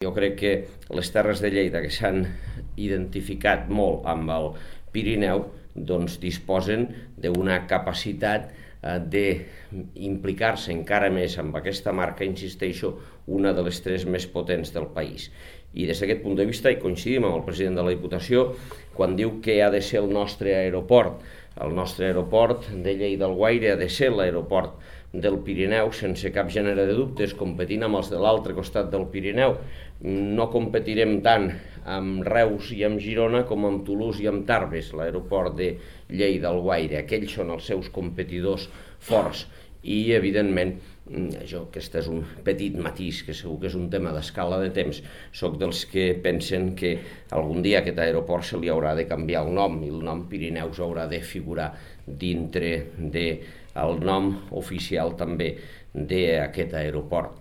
Jo crec que les Terres de Lleida, que s'han identificat molt amb el Pirineu, doncs disposen d'una capacitat d'implicar-se encara més amb aquesta marca, insisteixo, una de les 3 més potents del país. I des d'aquest punt de vista hi coincidim amb el president de la Diputació quan diu que ha de ser el nostre aeroport. El nostre aeroport de Lleida-Alguaire ha de ser l'aeroport del Pirineu sense cap gènere de dubtes, competint amb els de l'altre costat del Pirineu. No competirem tant amb Reus i amb Girona com amb Toulouse i amb Tarbes, l'aeroport de Lleida-Alguaire. Aquells són els seus competidors forts i, evidentment, aquest és un petit matís, que segur que és un tema d'escala de temps. Soc dels que pensen que algun dia a aquest aeroport se li haurà de canviar el nom i el nom Pirineus haurà de figurar dintre del nom oficial també d'aquest aeroport.